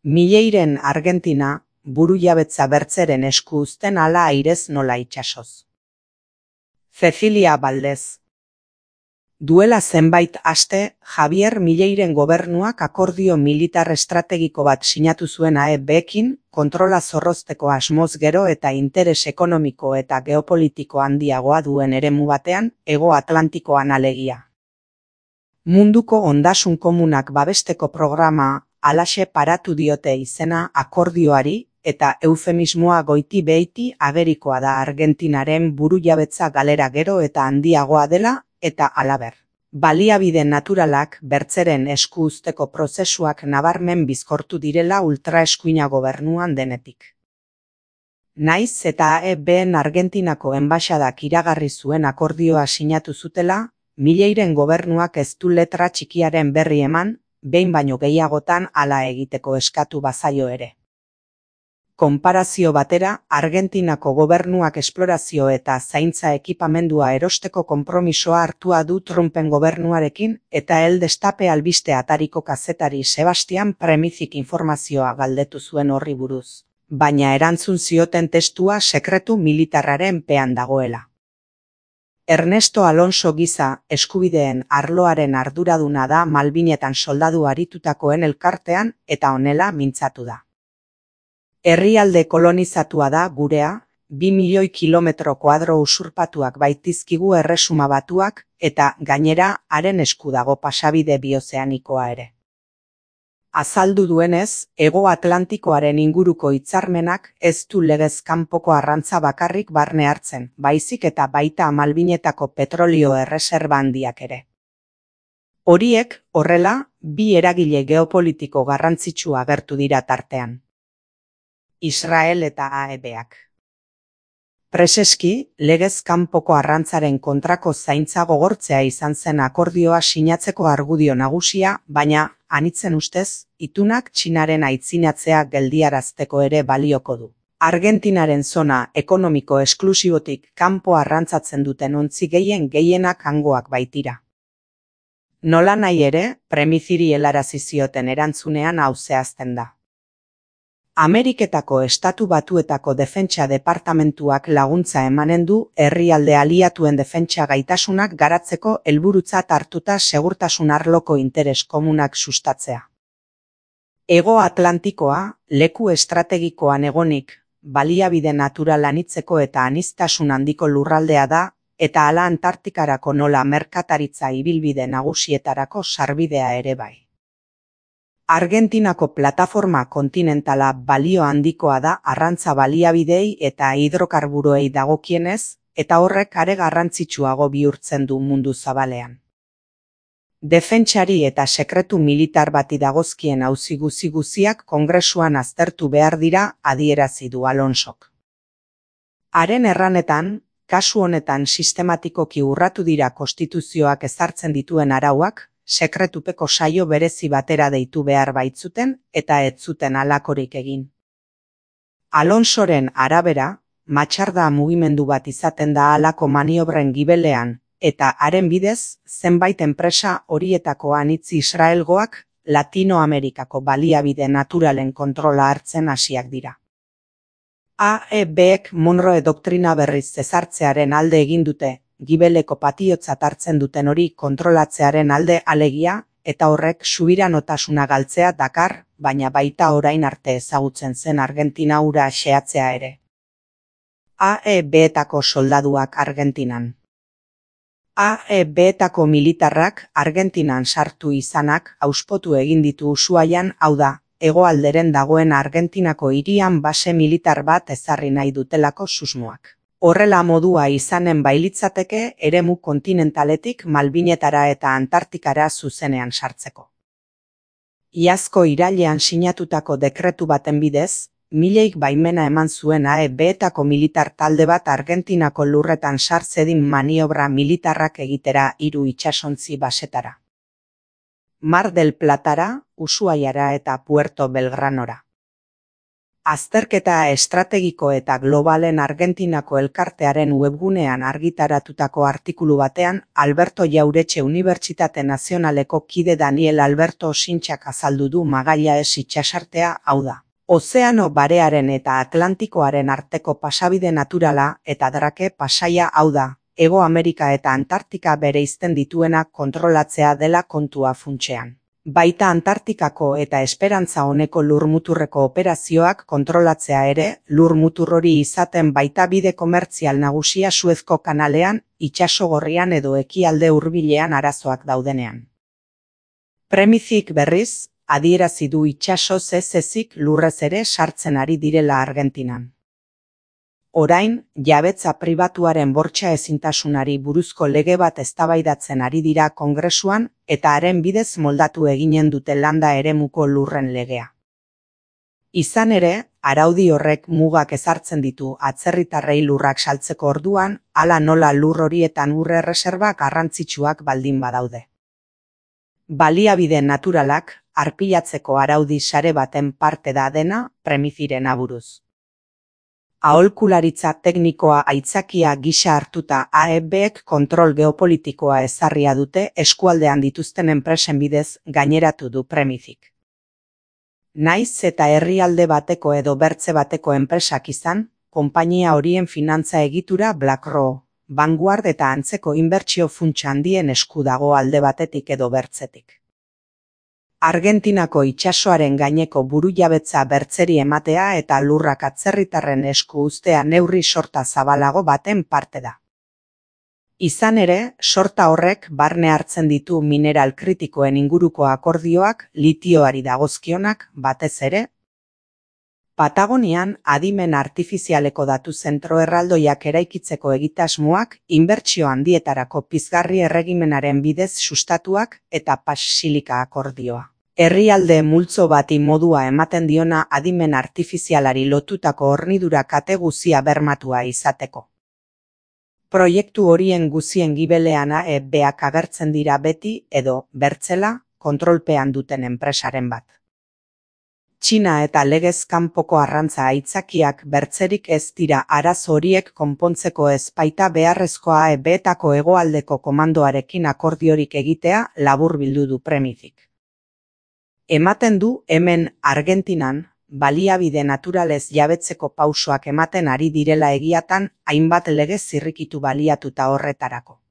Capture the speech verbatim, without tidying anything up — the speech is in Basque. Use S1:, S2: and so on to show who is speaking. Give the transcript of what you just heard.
S1: Milleiren Argentina, burujabetza bertzeren esku uzten ala airez nola itsasoz. Cecilia Valdez. Duela zenbait aste, Javier Milleiren gobernuak akordio militar estrategiko bat sinatu zuen A E Bekin, kontrola zorrozteko asmoz gero eta interes ekonomiko eta geopolitiko handiagoa duen eremu batean, Hego Atlantikoan alegia. Munduko ondasun komunak babesteko programa, halaxe paratu diote izena akordioari, eta eufemismoa goiti beiti agerikoa da Argentinaren burujabetza galera gero eta handiagoa dela, eta halaber. Baliabide naturalak bertzeren esku uzteko prozesuak nabarmen bizkortu direla ultraeskuina gobernuan denetik. Naiz eta A E Ben Argentinako enbaxadak iragarri zuen akordioa sinatu zutela, Milleiren gobernuak ez du letra txikiaren berri eman, behin baino gehiagotan hala egiteko eskatu bazaio ere. Konparazio batera, Argentinako gobernuak esplorazio eta zaintza ekipamendua erosteko konpromisoa hartua du Trumpen gobernuarekin eta El Destape albiste atariko kazetari Sebastian Premizik informazioa galdetu zuen horri buruz, baina erantzun zioten testua sekretu militarraren pean dagoela. Ernesto Alonso giza eskubideen arloaren arduraduna da Malbinetan soldadu aritutakoen elkartean eta honela mintzatu da. Herrialde kolonizatua da gurea, bi milioi kilometro koadro usurpatuak baitizkigu Erresuma Batuak eta gainera haren esku dago pasabide biozeanikoa ere. Azaldu duenez, Hego Atlantikoaren inguruko hitzarmenak ez du legez kanpoko arrantza bakarrik barne hartzen, baizik eta baita Malbinetako petrolio erreserba handiak ere. Horiek, horrela, bi eragile geopolitiko garrantzitsu agertu dira tartean. Israel eta A E Beak. Preseski, legez kanpoko arrantzaren kontrako zaintza gogortzea izan zen akordioa sinatzeko argudio nagusia, baina, anitzen ustez, itunak Txinaren aitzinatzea geldiarazteko ere balioko du. Argentinaren zona ekonomiko esklusibotik kanpo arrantzatzen duten ontzi gehien gehienak hangoak baitira. Nola nahi ere, Premiziri helarazi zioten erantzunean hau zehazten da. Ameriketako Estatu Batuetako Defentsa Departamentuak laguntza emanen du herrialde aliatuen defentsa gaitasunak garatzeko helburutzat hartuta segurtasun arloko interes komunak sustatzea. Hego Atlantikoa, leku estrategikoan egonik, baliabide natural anitzeko eta aniztasun handiko lurraldea da, eta hala Antartikarako nola merkataritza ibilbide nagusietarako sarbidea ere bai. Argentinako plataforma kontinentala balio handikoa da arrantza baliabidei eta hidrokarburoei dagokienez, eta horrek are garrantzitsuago bihurtzen du mundu zabalean. Defentsari eta sekretu militar bati dagozkien auzi guzi-guziak Kongresuan aztertu behar dira adierazi du Alonsok. Haren erranetan, kasu honetan sistematikoki urratu dira konstituzioak ezartzen dituen arauak, sekretupeko saio berezi batera deitu behar baitzuten eta ez zuten halakorik egin. Alonsoren arabera, matxarda mugimendu bat izaten da halako maniobren gibelean, eta haren bidez, zenbait enpresa horietako anitz Israelgoak Latinoamerikako baliabide naturalen kontrola hartzen hasiak dira. A E Bek Monroe doktrina berriz ezartzearen alde egin dute, gibeleko patiotzat hartzen duten hori kontrolatzearen alde alegia, eta horrek subiranotasuna galtzea dakar, baina baita orain arte ezagutzen zen Argentina hura xehatzea ere. A E Betako soldaduak Argentinan. A E Betako militarrak Argentinan sartu izanak auspotu egin ditu Ushuaian, hau da, hegoalderen dagoen Argentinako hirian base militar bat ezarri nahi dutelako susmoak. Horrela modua izanen bailitzateke eremu kontinentaletik Malbinetara eta Antartikara zuzenean sartzeko. Iazko irailean sinatutako dekretu baten bidez, Milleik baimena eman zuen A E Betako militar talde bat Argentinako lurretan sartzedin maniobra militarrak egitera hiru itsasontzi basetara. Mar del Platara, Ushuaiara eta Puerto Belgranora. Azterketa estrategiko eta globalen Argentinako elkartearen webgunean argitaratutako artikulu batean, Alberto Jauretxe Unibertsitate Nazionaleko kide Daniel Alberto Osintxak azaldu du Magallanes itsasartea, hau da, Ozeano Barearen eta Atlantikoaren arteko pasabide naturala eta Drake pasaia, hau da, Hego Amerika eta Antartika bereizten dituena kontrolatzea dela kontua funtsean. Baita Antartikako eta Esperantza Oneko lurmuturreko operazioak kontrolatzea ere, lurmutur hori izaten baita bide komertzial nagusia Suezko kanalean, itsaso gorrian edo ekialde hurbilean arazoak daudenean. Premizik berriz, adierazi du itsasoz ez ezik lurrez ere sartzen ari direla Argentinan. Orain, jabetza pribatuaren bortxa ezintasunari buruzko lege bat eztabaidatzen ari dira Kongresuan eta haren bidez moldatu eginen dute landa eremuko lurren legea. Izan ere, araudi horrek mugak ezartzen ditu atzerritarrei lurrak saltzeko orduan, hala nola lur horietan ur erreserba garrantzitsuak baldin badaude. Baliabide naturalak, arpilatzeko araudi sare baten parte da dena, Premiziren aburuz. Aholkularitza teknikoa aitzakia gisa hartuta A E Bek kontrol geopolitikoa ezarria dute eskualdean dituzten enpresen bidez, gaineratu du Premizik. Naiz eta herrialde bateko edo bertze bateko enpresak izan, konpainia horien finantza egitura BlackRock, Vanguard eta antzeko inbertsio funtsa handien esku dago alde batetik edo bertzetik. Argentinako itsasoaren gaineko burujabetza bertzeri ematea eta lurrak atzerritarren esku uztea neurri sorta zabalago baten parte da. Izan ere, sorta horrek barne hartzen ditu mineral kritikoen inguruko akordioak, litioari dagozkionak, batez ere, Patagonian adimen artifizialeko datu zentro erraldoiak eraikitzeko egitasmoak, inbertsio handietarako pizgarri erregimenaren bidez sustatuak eta Pax-Silika akordioa. Herrialde multzo bati modua ematen diona adimen artifizialari lotutako hornidura kate guzia bermatua izateko. Proiektu horien guzien gibelean A E Bak agertzen dira beti edo, bertzela, kontrolpean duten enpresaren bat. Txina eta legez kanpoko arrantza aitzakiak bertzerik ez dira arazo horiek konpontzeko ez baita beharrezkoa A E Betako hegoaldeko komandoarekin akordiorik egitea laburbildu du Premizik. Ematen du hemen Argentinan, baliabide naturalez jabetzeko pausoak ematen ari direla egiatan hainbat lege zirrikitu baliatuta horretarako.